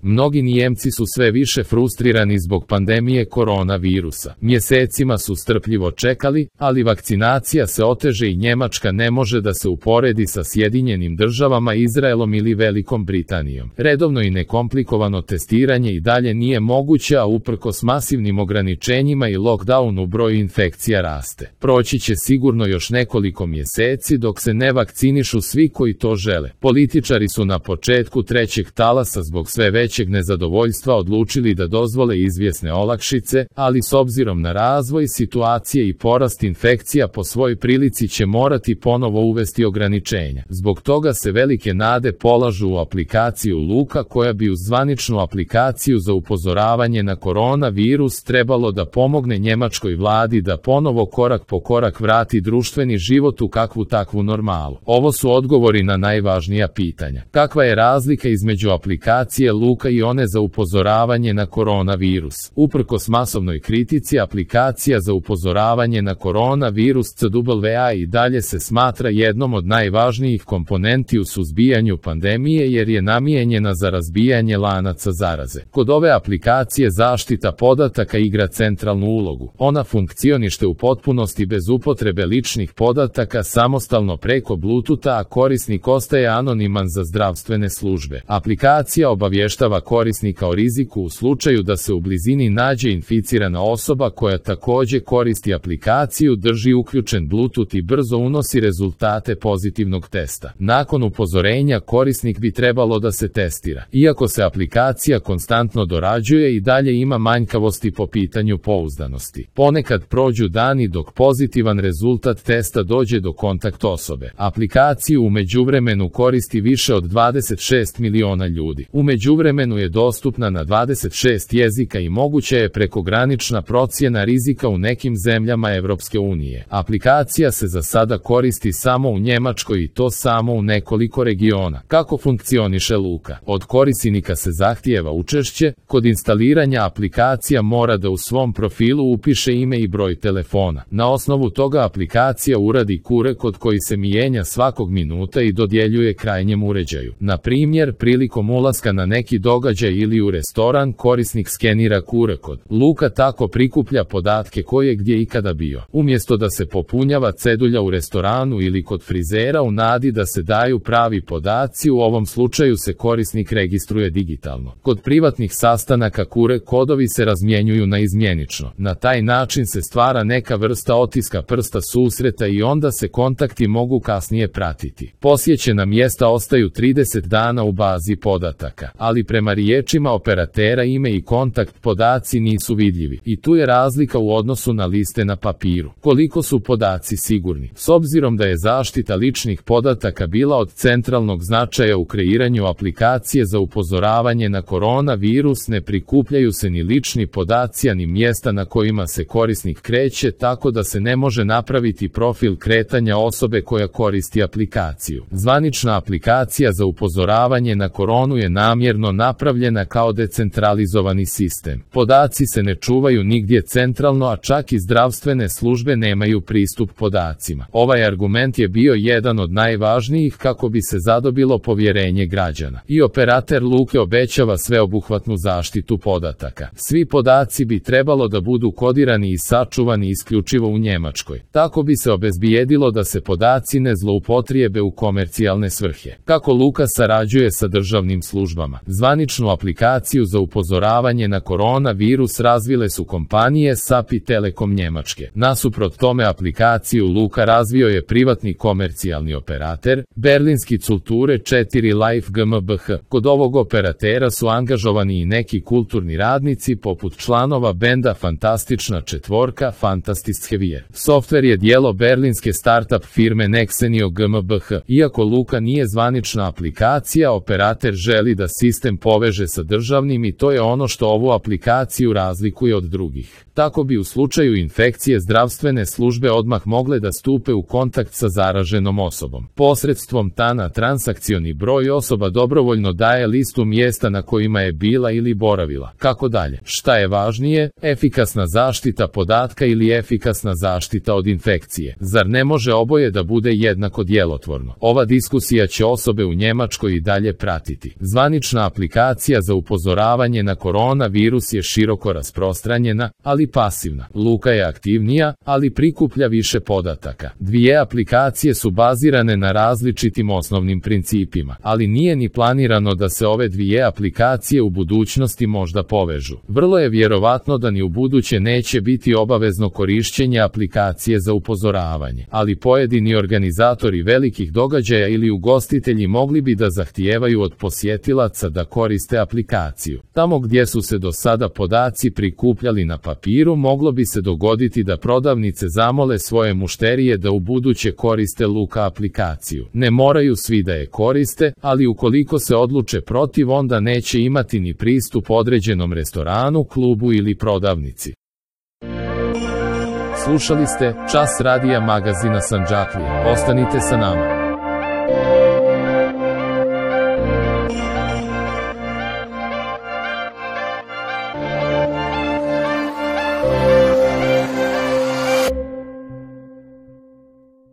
Mnogi Nijemci su sve više frustrirani zbog pandemije koronavirusa. Mjesecima su strpljivo čekali, ali vakcinacija se oteže i Njemačka ne može da se uporedi sa Sjedinjenim Državama, Izraelom ili Velikom Britanijom. Redovno i nekomplikovano testiranje i dalje nije moguće, a uprkos masivnim ograničenjima i lockdownu broj infekcija raste. Proći će sigurno još nekoliko mjeseci dok se ne vakcinišu svi koji to žele. Političari su na početku trećeg talasa zbog sve većeg nezadovoljstva odlučili da dozvole izvjesne olakšice, ali s obzirom na razvoj situacije i porast infekcija po svoj prilici će morati ponovo uvesti ograničenja. Zbog toga se velike nade polažu u aplikaciju Luka, koja bi uz zvaničnu aplikaciju za upozoravanje na koronavirus trebalo da pomogne njemačkoj vladi da ponovo korak po korak vrati društveni život u kakvu takvu normalu. Ovo su odgovori na najvažnija pitanja. Kakva je razlika između aplikacije Luka i one za upozoravanje na koronavirus? Uprkos masovnoj kritici, aplikacija za upozoravanje na koronavirus CWA i dalje se smatra jednom od najvažnijih komponenti u suzbijanju pandemije jer je namijenjena za razbijanje lanaca zaraze. Kod ove aplikacije zaštita podataka igra centralnu ulogu. Ona funkcioniše u potpunosti bez upotrebe ličnih podataka samostalno preko Bluetootha, a korisnik ostaje anoniman za zdravstvene službe. Aplikacija obavještava korisnika o riziku u slučaju da se u blizini nađe inficirana osoba koja također koristi aplikaciju, drži uključen Bluetooth i brzo unosi rezultate pozitivnog testa. Nakon upozorenja korisnik bi trebalo da se testira. Iako se aplikacija konstantno dorađuje i dalje ima manjkavosti po pitanju pouzdanosti. Ponekad prođu dani dok pozitivan rezultat testa dođe do kontakt osobe. Aplikaciju u međuvremenu koristi više od 26 miliona ljudi. U međuvremenu je dostupna na 26 jezika i moguća je prekogranična procjena rizika u nekim zemljama Evropske unije. Aplikacija se za sada koristi samo u Njemačkoj i to samo u nekoliko regiona. Kako funkcioniše Luka? Od korisnika se zahtijeva učešće. Kod instaliranja aplikacija mora da u svom profilu upiše ime i broj telefona. Na osnovu toga aplikacija uradi QR kod koji se mijenja svakog minuta i dodjeljuje krajnjem uređaju. Na primjer, prilikom ulaska na neki događaj ili u restoran, korisnik skenira QR kod. Luka tako prikuplja podatke ko je gdje ikada bio. Umjesto da se popunjava cedulja u restoranu ili kod frizera u nadi da se daju pravi podaci, u ovom slučaju se korisnik registruje digitalno. Kod privatnih sastanaka QR kodovi se razmjenjuju na izmjenično. Na taj način se stvara neka vrsta otiska prsta susreta i onda se kontakti mogu kasnije pratiti. Posjećena mjesta ostaju 30 dana u bazi podataka, ali prema riječima operatera ime i kontakt podaci nisu vidljivi. I tu je razlika u odnosu na liste na papiru. Koliko su podaci sigurni? S obzirom da je zaštita ličnih podataka bila od centralnog značaja u kreiranju aplikacije za upozoravanje na koronavirus, ne prikupljaju se ni lični podaci, ni mjesta na kojima se korisnik kreće, tako da se ne može napraviti profil kretanja osobe koja koristi aplikaciju. Zvanična aplikacija za upozoravanje na koronu je namjerno napravljena kao decentralizovani sistem. Podaci se ne čuvaju nigdje centralno, a čak i zdravstvene službe nemaju pristup podacima. Ovaj argument je bio jedan od najvažnijih kako bi se zadobilo povjerenje građana. I operater Luke obećava sveobuhvatnu zaštitu podataka. Svi podaci bi trebalo da budu kodirani i sačuvani isključivo u Njemačkoj. Tako bi se obezbijedilo da se podaci ne zloupotrijebe u komercijalne svrhe. Kako Luka sarađuje sa državnim službama? Zvaničnu aplikaciju za upozoravanje na koronavirus razvile su kompanije SAP i Telekom Njemačke. Nasuprot tome aplikaciju Luka razvio je privatni komercijalni operater, berlinski Culture 4 Life GmbH. Kod ovog operatera su angažovani i neki kulturni radnici poput članova benda Fantastična četvorka Fantastische. Softver je dijelo berlinske startup firme Nexenio GmbH. Iako Luka nije zvanična aplikacija, operater želi da sistem poveže sa državnim i to je ono što ovu aplikaciju razlikuje od drugih. Tako bi u slučaju infekcije zdravstvene službe odmah mogle da stupe u kontakt sa zaraženom osobom. Posredstvom TANA transakcioni broj osoba dobrovoljno daje listu mjesta na kojima je bila ili boravila. Kako dalje? Šta je važnije? Efikasna zaštita podatka ili efikasna zaštita od infekcije? Zar ne može oboje da bude jednako djelotvorno? Ova diskusija će osobe u Njemačkoj i dalje pratiti. Zvanična aplikacija aplikacija za upozoravanje na koronavirus je široko rasprostranjena, ali pasivna. Luka je aktivnija, ali prikuplja više podataka. Dvije aplikacije su bazirane na različitim osnovnim principima, ali nije ni planirano da se ove dvije aplikacije u budućnosti možda povežu. Vrlo je vjerovatno da ni u buduće neće biti obavezno korišćenje aplikacije za upozoravanje, ali pojedini organizatori velikih događaja ili ugostitelji mogli bi da zahtijevaju od posjetilaca da koriste aplikaciju. Tamo gdje su se do sada podaci prikupljali na papiru, moglo bi se dogoditi da prodavnice zamole svoje mušterije da u buduće koriste Luka aplikaciju. Ne moraju svi da je koriste, ali ukoliko se odluče protiv, onda neće imati ni pristup određenom restoranu, klubu ili prodavnici. Slušali ste Čas radija magazina Sandžaklija. Ostanite sa nama.